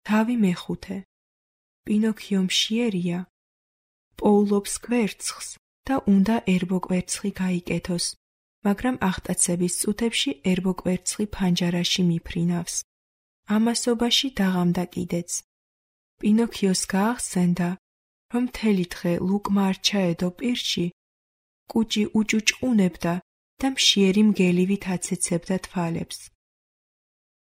თავი მეხუთე. პინოქიო მშიერია, პოულობს კვერცხს და უნდა ერბო კვერცხი გაიკეთოს, მაგრამ აღტაცების წუთებში ერბო კვერცხი ფანჯარაში მიფრინავს. ამასობაში დაღამდა კიდეც. პინოქიოს გაახსენდა, რომ მთელი დღე ლუკმა არ ჩაედო პირში, კუჭი უჭუჭყუნებდა და მშიერი მგელივით აცეცებდა თვალებს.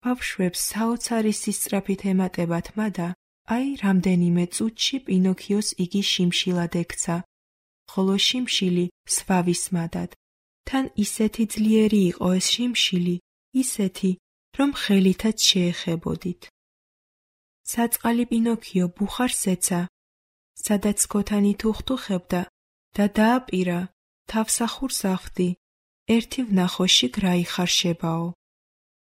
ბავშვებს საოცარი სისწრაფით ემატებათმა და აი რამდენიმე წუთში პინოქიოს იგი შიმშილად ექცა, ხოლო შიმშილი სვავისმადად. თან ისეთი ძლიერი იყო ეს შიმშილი, ისეთი, რომ ხელითაც შეეხებოდით. საწყალი პინოქიო ბუხარს ეცა, სადაც ქოთანი თუხთუხებდა და დააპირა, თავსახურს ახვდი, ერთი ვნახოში გრაიხარშებაო.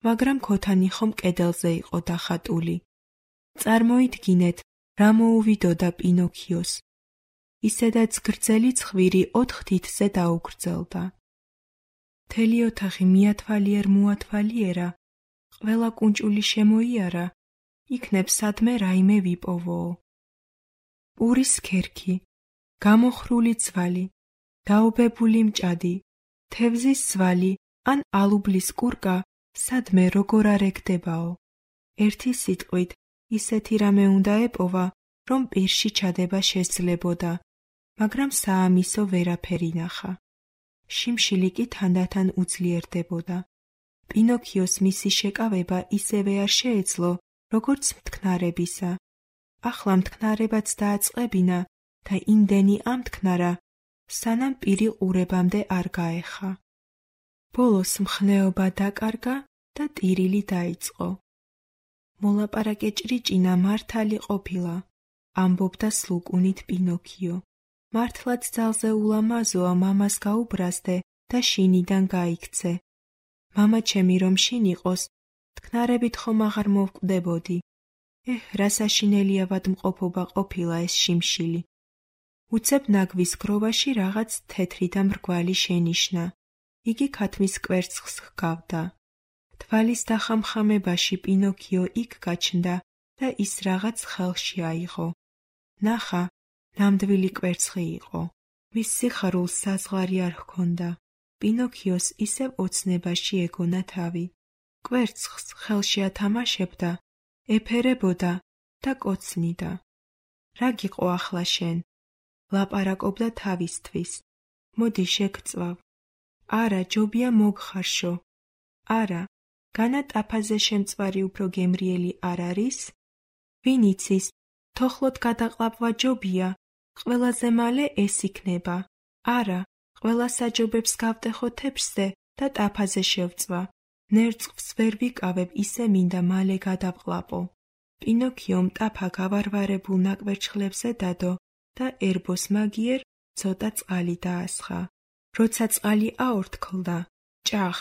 მაგრამ ქოთანი ხომ კედელზე იყო დახატული. წარმოიდგინეთ, რა მოუვიდოდა პინოქიოს. ისედაც გრძელი ცხვირი 4 თითზე დაუგრძელდა. მთელი ოთახი მიათვალიერ-მოათვალიერა, ყველა კუნჭული შემოიარა, იქნებ სადმე რაიმე ვიპოვოო. პურის ქერქი, გამოხრული ძვალი, დაობებული მჭადი, თევზის ძვალი ან ალუბლის კურკა სადმე როგორ არ ეგდებაო. ერთი სიტყვით ისეთი რამე უნდა ეპოვა, რომ პირში ჩადება შესძლებოდა, მაგრამ საამისო ვერაფერი ნახა. შიმშილი კი თანდათან უძლიერდებოდა. პინოქიოს მისი შეკავება ისევე არ შეეძლო, როგორც მტკნარებისა. ახლა მტკნარებაც დააწყებინა და იმდენი ამტკნარა, სანამ პირი ყურებამდე არ გაეხა. ბოლოს მხნეობა დაკარგა და ტირილი დაიწყო. მოლაპარაკე ჭრიჭინა მართალი ყოფილა, ამბობდა სლუკუნით პინოქიო. მართლაც ძალზე ულამაზოა მამას გაუბრაზდე და შინიდან გაიქცე. მამა ჩემი რომ შინ იყოს, თქნარებით ხომ აღარ მოვკვდებოდი. რა საშინელიავად მყოფობა ყოფილა ეს შიმშილი. უცებ ნაგვის გროვაში რაღაც თეთრი და მრგვალი შენიშნა. იგი ქათმის კვერცხს ჰგავდა. თვალის დახამხამებაში პინოქიო იქ გაჩნდა და ის რაღაც ხელში აიღო. ნახა, ნამდვილი კვერცხი იყო. მის სიხარულს საზღვარი არ ჰქონდა. პინოქიოს ისევ ოცნებაში ეგონა თავი. კვერცხს ხელში ათამაშებდა, ეფერებოდა და კოცნიდა. რა გიყო ახლა შენ? ლაპარაკობდა თავისთვის. მოდი შეგწვავ. არა, ჯობია მოგხარშო. არა, განა ტაფაზე შემწვარი უფრო გემრიელი არ არის? ვინ იცის, თოხლოდ გადაყლაპვა ჯობია, ყველაზე მალე ეს იქნება. არა, ყველა საჯობებს გავტეხო თეფშზე და ტაფაზე შევწვა. ნერწყვს ვერ ვიკავებ, ისე მინდა მალე გადავყლაპო. პინოქიომ ტაფა გავარვარებულ ნაკვერჩხლებზე დადო და ერბოს მაგიერ ცოტა წყალი დაასხა. როცა წყალი აორთქლდა, ჭახ,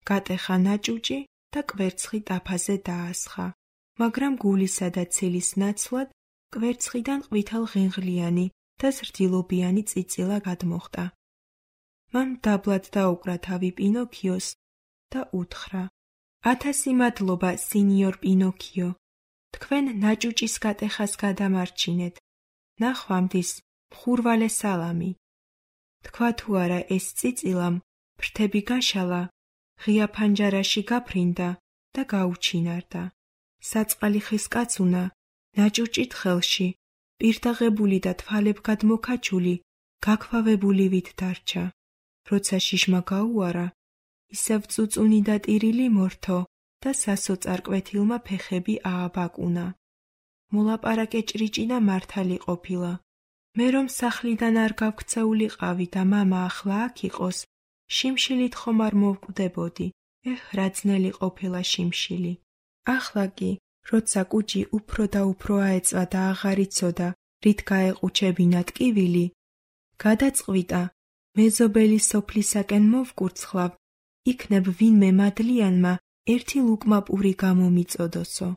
გატეხა ნაჭუჭი და კვერცხი ტაფაზე დაასხა. მაგრამ გულისა და ცილის ნაცვლად კვერცხიდან ყვითელ-ღინღლიანი და ზრდილობიანი წიწილა გადმოხდა. მან დაბლად დაუკრა თავი პინოქიოს და უთხრა: 1000 მადლობა, სინიორ პინოქიო. თქვენ ნაჭუჭის გატეხას გადამარჩინეთ. ნახვამდის, მხურვალე სალამი. თქვა თუ არა ეს წიწილამ, ფრთები გაშალა, ღია ფანჯარაში გაფრინდა და გაუჩინარდა. საწყალი ხის კაცუნა, ნაჭუჭით ხელში, პირდაღებული და თვალებგად მოკაჭული, გაქვავებული ვით დარჩა. როცა შიშმა გაუარა, ისევ წუწუნი და ტირილი მორთო და სასოწარკვეთილმა ფეხები ააბაკუნა. მოლაპარაკე ჭრიჭინა მართალი ყოფილა. მე რომ სახლიდან არ გავქცეულიყავი და მამა ახლა აქ იყოს, შიმშილით ხომ არ მოვკვდებოდი. რა ძნელი ყოფილა შიმშილი. ახლა კი, როცა კუჭი უფრო და უფრო აეწვა და აღარ იცოდა, რით გაეყუჩებინა ტკივილი, გადაწყვიტა, მეზობელი სოფლისაკენ მოვკურცხლავ, იქნებ ვინმე მადლიანმა ერთი ლუკმა პური გამომიწოდოსო.